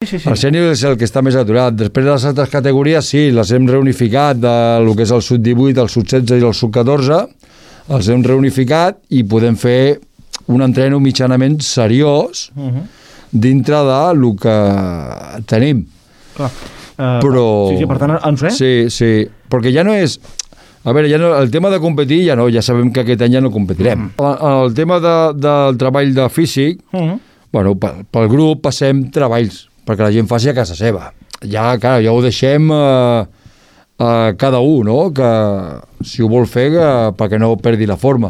El sènior és el que està més aturat. Després de les altres categories, sí, les hem reunificat del que és el sub-18, el sub-16 i el sub-14, els hem reunificat i podem fer un entreno mitjanament seriós dintre del que tenim. Clar. Però... Sí, per tant, ens ve? Sí, perquè ja no és... A veure, ja no, el tema de competir ja no, ja sabem que aquest any ja no competirem. El tema del treball de físic, bueno, pel grup passem treballs perquè la gent faci a casa seva. Ja, clar, ja ho deixem a cada un, no? Que si ho vol fer, perquè no perdi la forma.